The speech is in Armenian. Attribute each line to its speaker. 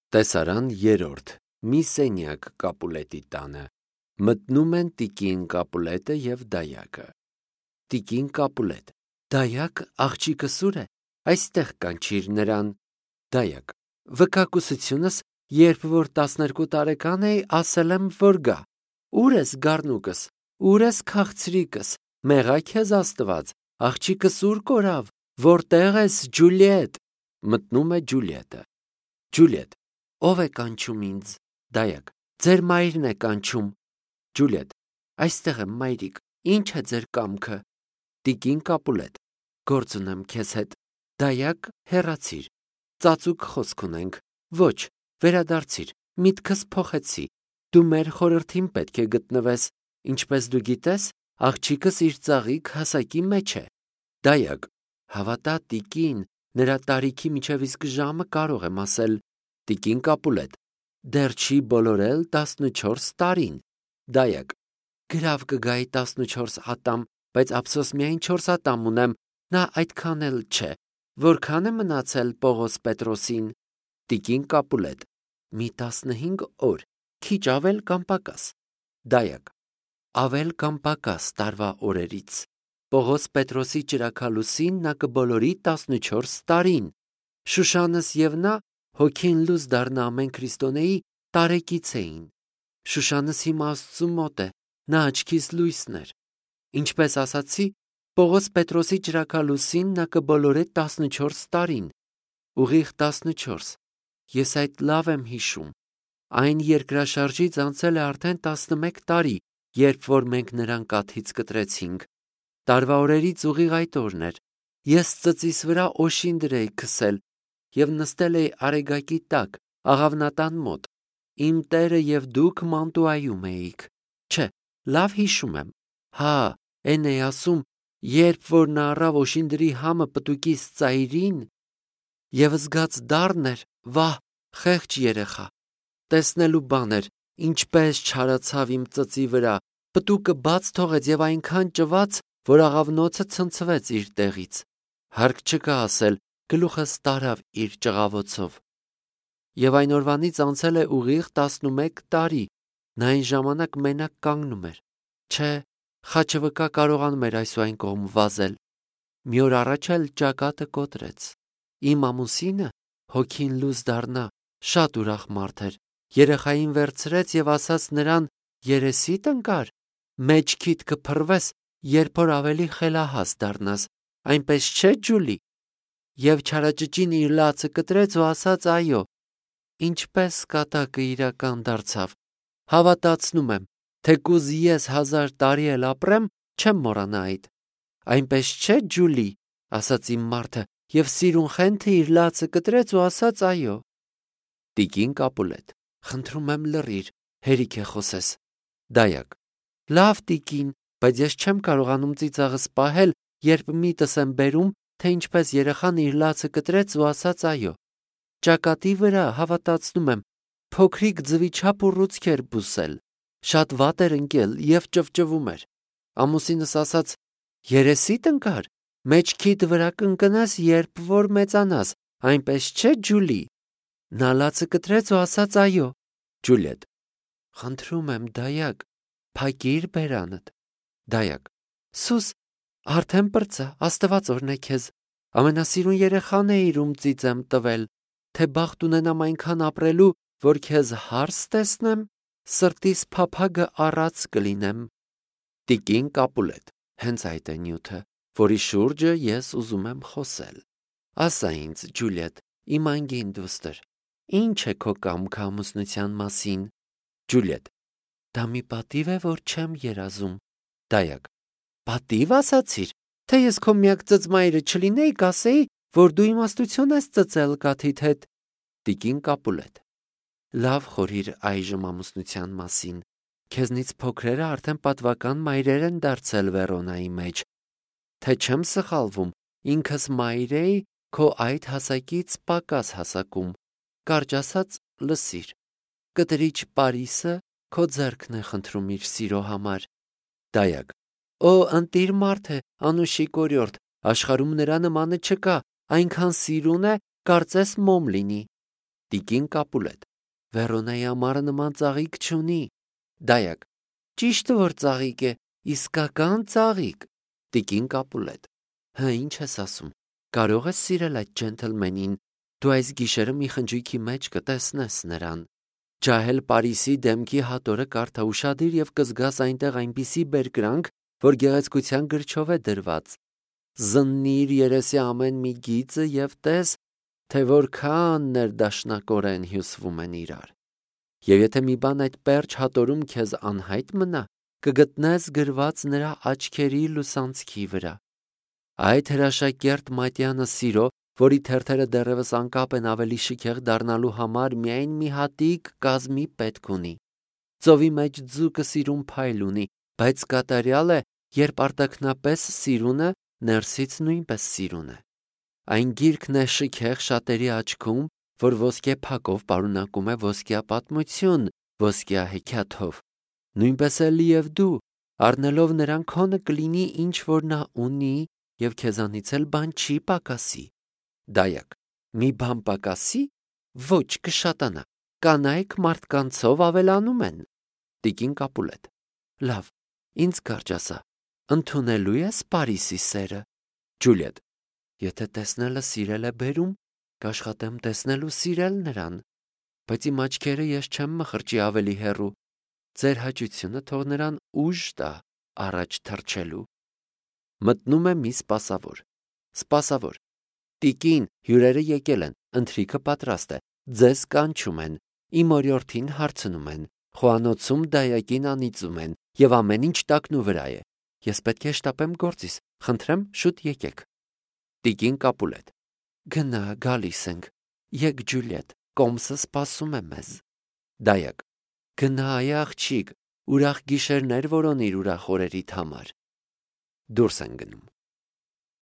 Speaker 1: Տեսարան երրորդ. մի սենյակ Կապուլետի տանը։ Մտնում են տիկին Կապուլետը և դայակը։ Տիկին Կապուլետ. Դայակ, աղջիկը սուր է, այստեղ կանչիր նրան։ Դայակ. վկակուսությունս, երբ որ 12 տարեկան էի, ասել եմ, որ գա։ Ուր ես գառնուկս, ուր ես քաղցրիկս, մեղա քեզ Աստված, աղջիկս ուր կորավ, որտեղ ես Ջուլիետ։ Մտնում է Ջուլիետը։ Ջուլիետ. ով է կանչում ինձ։ Դայակ. ձեր մայրն է կանչում։ Ջուլիետ. այստեղ եմ, մայրիկ, ինչ է ձեր կամքը։ Տիկին Կապուլետ. գործ ունեմ քեզ հետ։ Դայակ, հեռացիր, ծածուկ խոսք ունենք։ Ոչ, վերադարձիր, միտքս փոխեցի, դու մեր խորհրդին պետք է գտնվես, ինչպես դու գիտես, աղջիկս իր ծաղիկ հասակի մեջ է։ Դայակ. հավատա տիկին, նրա տարիքի միջև իսկ ժամը կարող եմ ասել։ Տիկին Կապուլետ. դեռ չի բոլորել 14 տարին։ Դայակ. գրավ կգայի 14 ատամ, բայց ափսոս միայն 4 ատամ ունեմ, նա այդքան էլ չէ։ Որքան է մնացել Պողոս Պետրոսին։ Տիկին Կապուլետ. մի 15 օր, քիչ ավել կամ պակաս։ Դայակ. ավել կամ պակաս տարվա օրերից։ Պողոս Պետրոսի ճրագալուսին նա կբոլորի 14 տարին։ Շուշանս և նա, հոգին լույս դառնա ամեն քրիստոնեի, տարեկից էին։ Շուշանս հիմա Աստծու մոտ է, նա աչքիս լույսն էր։ Ինչպես ասացի, Պողոս Պետրոսի ճրագալուսին նա կբոլորե 14 տարին։ Ուղիղ 14։ Ես այդ լավ եմ հիշում։ Այն երկրաշարժից անցել է արդեն 11 տարի, երբ որ մենք նրան կաթից կտրեցինք։ Տարվա օրերից ուղիղ այդ օրն էր։ Ես ծծիս վրա օշինդր էի քսել և նստել էի արեգակի տակ, աղավնատան մոտ։ Իմ Տերը և դուք մանտուայում էիք։ Չէ, լավ հիշում եմ։ Հա, էն էի ասում, երբ որ նա առավ օշինդրի համը պտուկիս ծայրին, և զգաց դառն էր, վահ, խեղճ երեխա։ Տեսնելու բան էր, ինչպես չարացավ իմ ծծի վրա, պտուկը բաց թողեց և այնքան ճված, որ աղավնոցը ցնցվեց իր տեղից։ Հարկ չկա ասել, գլուխս տարավ իր ճղավոցով։ Եվ այն օրվանից անցել է ուղիղ 11 տարի, նա այն ժամանակ մենակ կանգնում էր։ Չէ, խաչը վկա կարողանում էր այս ու այն կողմ վազել։ Մի օր առաջ էլ ճակատը կոտրեց։ Իմ ամուսինը, հոգին լույս դառնա, շատ ուրախ մարդ էր, երեխային վերցրեց և ասաց նրան. երեսիդ ընկար, մեջքիդ կփռվես, երբ որ ավելի խելահաս դառնաս, այնպես չէ Ջուլի։ Եվ չարաճճին իր լացը կտրեց ու ասաց. այո, ինչպես կատակը իրական դարձավ։ Հավատացնում եմ, թեկուզ ես 1000 տարի էլ ապրեմ, չեմ մոռանա այդ։ Այնպես չէ Ջուլի, ասաց իմ մարդը, և սիրուն խենթը իր լացը կտրեց ու ասաց. այո։ Տիկին Կապուլետ. խնդրում եմ լռիր, հերիք է խոսես։ Դայակ. լավ տիկին, բայց ես չեմ կարողանում ծիծաղս պահել, երբ միտս եմ բերում, թե ինչպես երեխան իր լացը կտրեց ու ասաց. այո։ Ճակատի վրա, հավատացնում եմ, փոքրիկ ձվի չափ ուռուցք էր բուսել, շատ վատ էր ընկել և ճվճվում էր։ Ամուսինս ասաց. երեսիդ ընկար, մեջքիդ վրա կընկնես, երբ որ մեծանաս, այնպես չէ Ջուլի։ Նա լացը կտրեց ու ասաց. այո։ Ջուլիետ. խնդրում եմ դայակ, փակիր բերանդ։ Դայակ. սուս, արդեն պրծա, Աստված օրհնե քեզ, ամենասիրուն երեխան էիր, ում ծիծ եմ տվել, թե բախտ ունենամ այնքան ապրելու, որ քեզ հարս տեսնեմ, սրտիս փափագը առած կլինեմ։ Տիկին Կապուլետ. հենց այդ է նյութը, որի շուրջը ես ուզում եմ խոսել։ Ասա ինձ, Ջուլիետ, իմ անգին դուստր, ինչ է քո կամքը ամուսնության մասին։ Ջուլիետ. դա մի պատիվ է, որ չեմ երազում։ Դայակ. պատիվ ասացիր, թե ես քո միակ ծծմայրը չլինեի, կասեի, որ դու իմաստություն ես ծծել կաթիդ հետ։ Տիկին Կապուլետ. լավ խորհիր այժմ ամուսնության մասին։ Քեզնից փոքրերը արդեն պատվական մայրեր են դարձել Վերոնայի մեջ։ Թե չեմ սխալվում, ինքս մայր էի քո այդ հասակից պակաս հասակում։ Կարճ ասած, լսիր, կտրիչ Պարիսը քո ձեռքն է խնդրում իր սիրո համար։ Դայակ. օ, ընտիր մարդ է, անուշիկ օրիորդ, աշխարհում նրա նմանը չկա, այնքան սիրուն է, կարծես մոմ լինի։ Տիկին Կապուլետ. Վերոնայի ամառը նման ծաղիկ չունի։ Դայակ. Ճիշտ որ ծաղիկ է, իսկական ծաղիկ։ Տիկին Կապուլետ. Հա, ինչ ես ասում։ Կարող ես սիրել այդ ջենթլմենին, դու այս գիշերը մի խնջույքի մեջ կտեսնես նրան։ Ջահել Պարիսի դեմքի հատորը կարդա ուշադիր եւ կզգաս այնտեղ այնպիսի բերկրանք, որ գեղեցկության գրչով է դրված։ Զննիր երեսի ամեն մի գիծը եւ տես, թե որքան ներդաշնակորեն հյուսվում են իրար։ Եվ եթե մի բան այդ պերճ հատորում քեզ անհայտ մնա, կգտնես գրված նրա աչքերի լուսանցքի վրա։ Այդ հրաշակերտ մատյանը սիրո, որի թերթերը դեռևս անկապ են ավելի շքեղ դառնալու համար, միայն մի հատիկ կազմի պետք ունի։ Ծովի մեջ ձուկը սիրուն փայլ ունի, բայց կատարյալ է, երբ արտաքնապես սիրունը ներսից նույնպես սիրուն է։ Այն գիրքն է շքեղ շատերի աչքում, որ ոսկե փակով պարունակում է ոսկյա պատմություն, ոսկյա հեքիաթով։ Նույնպես էլ եւ դու, առնելով նրան քոնը կլինի ինչ որ նա ունի, եւ քեզանից էլ բան չի պակասի։ Դայակ. մի բան պակասի, ոչ կշատանա, կանայք մարդկանցով ավելանում են։ Տիկին Կապուլետ. լավ, ինձ կարճ ասա, ընդունելու ես Պարիսի սերը։ Ջուլիետ. եթե տեսնելը սիրել է բերում, կաշխատեմ տեսնել ու սիրել նրան, բայց իմ աչքերը ես չեմ մխրճի ավելի հեռու, ձեր հաճությունը թող նրան ուժ տա առաջ թռչելու։ Մտնում է մի սպասավոր։ Սպասավոր. Տիկին, հյուրերը եկել են, ընթրիքը պատրաստ է, ձեզ կանչում են, իմ օրիորդին հարցնում են, խոհանոցում դայակին անիծում են, եւ ամեն ինչ տակնու վրա է։ Ես պետք է շտապեմ գործիս, խնդրեմ շուտ եկեք։ Տիկին Կապուլետ. գնա, գալիս ենք, եկ Ջուլիետ, կոմսը սպասում է մեզ։ Դայակ. գնա, այ աղջիկ, ուրախ գիշերներ որոնիր ուրախ օրերիդ համար։ Դուրս են գնում։